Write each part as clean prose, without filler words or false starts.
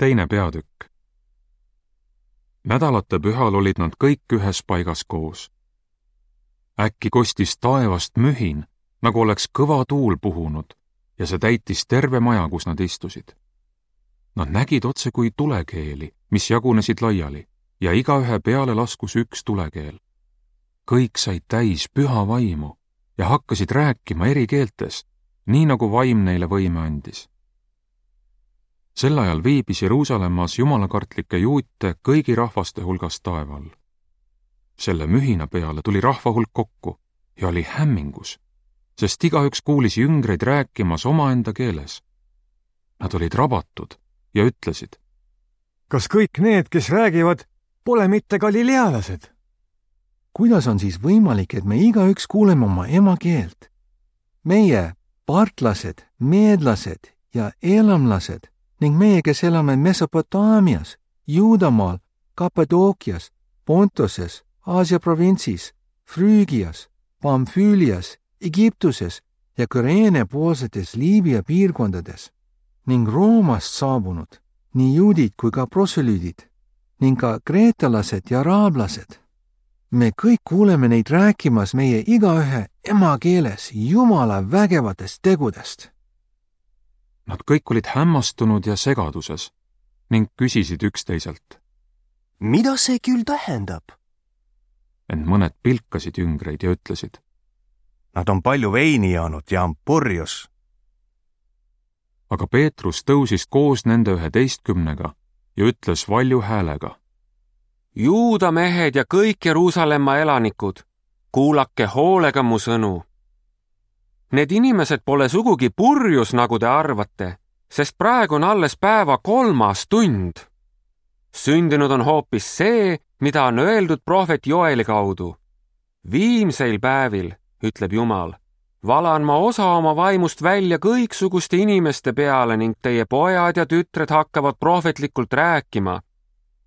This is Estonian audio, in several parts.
2. peatükk. Nädalate pühal olid nad kõik ühes paigas koos. Äkki kostis taevast mühin, nagu oleks kõva tuul puhunud, ja see täitis terve maja, kus nad istusid. Nad nägid otse kui tulekeeli, mis jagunesid laiali, ja igaühe peale laskus üks tulekeel. Kõik said täis püha vaimu ja hakkasid rääkima eri keeltes, nii nagu vaim neile võime andis. Sel ajal viibis Jeruusalemmas jumalakartlikke juute kõigi rahvaste hulgas taeval. Selle mühina peale tuli rahva hulk kokku ja oli hämmingus, sest igaüks kuulis jüngreid rääkimas omaenda keeles. Nad olid rabatud ja ütlesid: kas kõik need, kes räägivad, pole mitte galilealased? Kuidas on siis võimalik, et me igaüks kuuleme oma emakeelt? Meie, partlased, meedlased ja elamlased ning meie, kes elame Mesopotaamias, Juudamaal, Kappadookias, Pontoses, Aasia provintsis, Früügias, Pamfüülias, Egiptuses ja Küreene poolsetes Liibia piirkondades ning Roomast saabunud, nii juudid kui ka prosülüüdid ning ka kreetalased ja araablased. Me kõik kuuleme neid rääkimas meie igaühe emakeeles Jumala vägevatest tegudest. Nad kõik olid hämmastunud ja segaduses ning küsisid üksteiselt: mida see küll tähendab? Ent mõned pilkasid jüngreid ja ütlesid: nad on palju veini joonud ja on purjus. Aga Peetrus tõusis koos nende 11 ja ütles valju häälega: Juuda mehed ja kõik Jeruusalemma elanikud, kuulake hoolega mu sõnu. Need inimesed pole sugugi purjus, nagu te arvate, sest praegu on alles päeva 3. tund. Sündinud on hoopis see, mida on öeldud prohvet Joeli kaudu. Viimseil päevil, ütleb Jumal, valan ma osa oma vaimust välja kõiksuguste inimeste peale ning teie pojad ja tütred hakkavad prohvetlikult rääkima.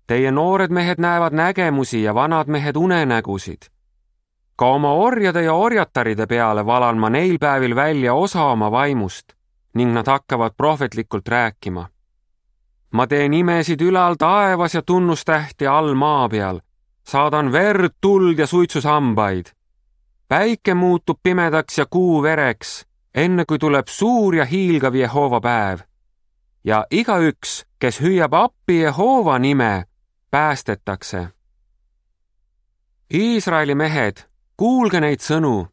Teie noored mehed näevad nägemusi ja vanad mehed unenägusid. Ka oma orjade ja orjataride peale valan ma neil päevil välja osa oma vaimust ning nad hakkavad prohvetlikult rääkima. Ma teen imesid ülal taevas ja tunnustähti all maa peal. Saadan verd, tuld ja suitsusambaid. Päike muutub pimedaks ja kuu vereks, enne kui tuleb suur ja hiilgav Jehova päev. Ja igaüks, kes hüüab appi Jehova nime, päästetakse. Iisraeli mehed, kuulge neid sõnu.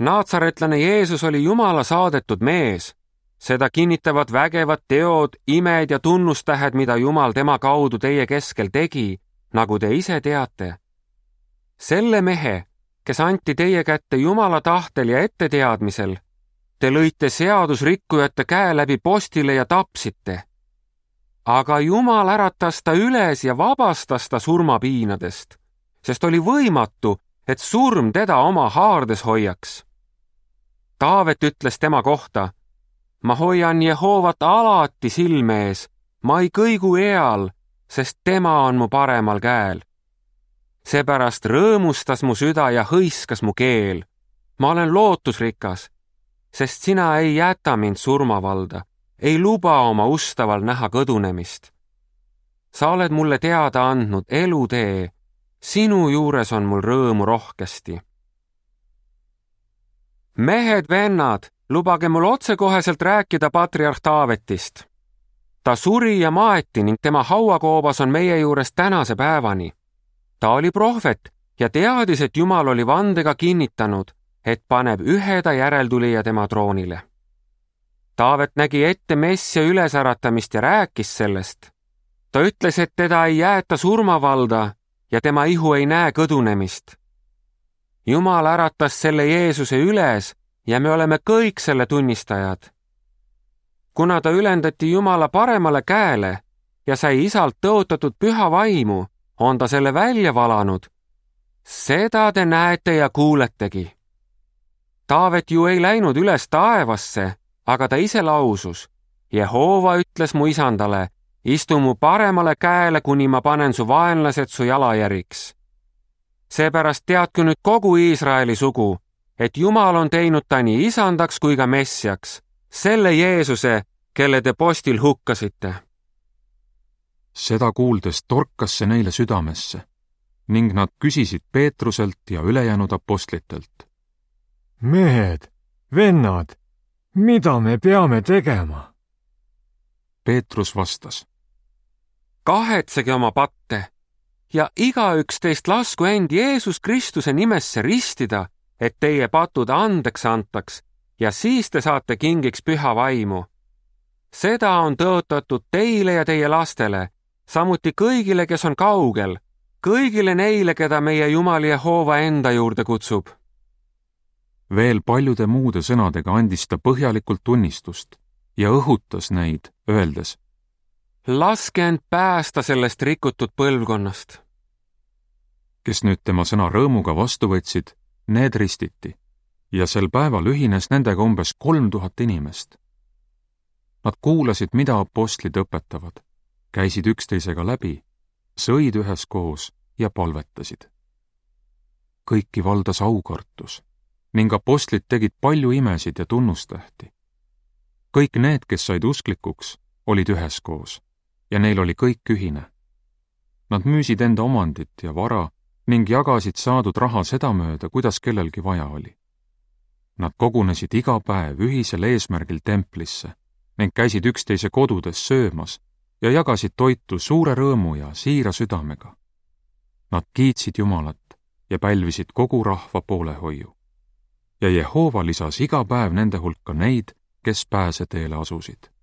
Naatsaretlane Jeesus oli Jumala saadetud mees. Seda kinnitavad vägevad teod, imed ja tunnustähed, mida Jumal tema kaudu teie keskel tegi, nagu te ise teate. Selle mehe, kes anti teie kätte Jumala tahtel ja etteteadmisel, te lõite seadusrikkujate käe läbi postile ja tapsite. Aga Jumal äratas ta üles ja vabastas ta surmapiinadest, sest oli võimatu, et surm teda oma haardes hoiaks. Taavet ütles tema kohta: ma hoian Jehovat alati silme ees, ma ei kõigu eal, sest tema on mu paremal käel. Seepärast rõõmustas mu süda ja hõiskas mu keel. Ma olen lootusrikas, sest sina ei jäta mind surmavalda, ei luba oma ustaval näha kõdunemist. Sa oled mulle teada andnud elutee, sinu juures on mul rõõmu rohkesti. Mehed, vennad, lubage mul otsekoheselt rääkida patriarh Taavetist. Ta suri ja maeti ning tema hauakoobas on meie juures tänase päevani. Ta oli prohvet ja teadis, et Jumal oli vandega kinnitanud, et paneb ühe ta järeltulija tema troonile. Taavet nägi ette Messia ülesäratamist ja rääkis sellest. Ta ütles, et teda ei jäeta surmavalda ja tema ihu ei näe kõdunemist. Jumal äratas selle Jeesuse üles ja me oleme kõik selle tunnistajad. Kuna ta ülendati Jumala paremale käele ja sai isalt tõotatud püha vaimu, on ta selle välja valanud. Seda te näete ja kuuletegi. Taavet ju ei läinud üles taevasse, aga ta ise lausus: Jehova ütles mu isandale: istu mu paremale käele, kuni ma panen su vaenlased su jalajäriks. Seepärast teadku nüüd kogu Iisraeli sugu, et Jumal on teinud ta nii isandaks kui ka messiaks, selle Jeesuse, kelle te postil hukkasite. seda kuuldes torkas see neile südamesse ning nad küsisid Peetruselt ja ülejäänud apostlitelt. mehed, vennad, mida me peame tegema? Peetrus vastas. kahetsege oma patte ja igaüks teist lasku end Jeesus Kristuse nimesse ristida, et teie patud andeks antaks ja siis te saate kingiks püha vaimu. Seda on tõotatud teile ja teie lastele, samuti kõigile, kes on kaugel, kõigile neile, keda meie Jumal Jehova enda juurde kutsub. Veel paljude muude sõnadega andis ta põhjalikult tunnistust ja õhutas neid, öeldes. Laske end päästa sellest rikutud põlvkonnast. Kes nüüd tema sõna rõõmuga vastu võtsid, need ristiti ja sel päeval ühines nendega umbes 3000 inimest. Nad kuulasid, mida apostlid õpetavad, käisid üksteisega läbi, sõid üheskoos ja palvetasid. Kõiki valdas aukartus ning apostlid tegid palju imesid ja tunnustähti. Kõik need, kes said usklikuks, olid üheskoos ja neil oli kõik ühine. Nad müüsid enda omandit ja vara ning jagasid saadud raha sedamööda, kuidas kellelgi vaja oli. Nad kogunesid iga päev ühisel eesmärgil templisse ning käisid üksteise kodudes söömas ja jagasid toitu suure rõõmu ja siira südamega. Nad kiitsid Jumalat ja pälvisid kogu rahva poolehoiu. Ja Jehova lisas iga päev nende hulka neid, kes pääseteele asusid.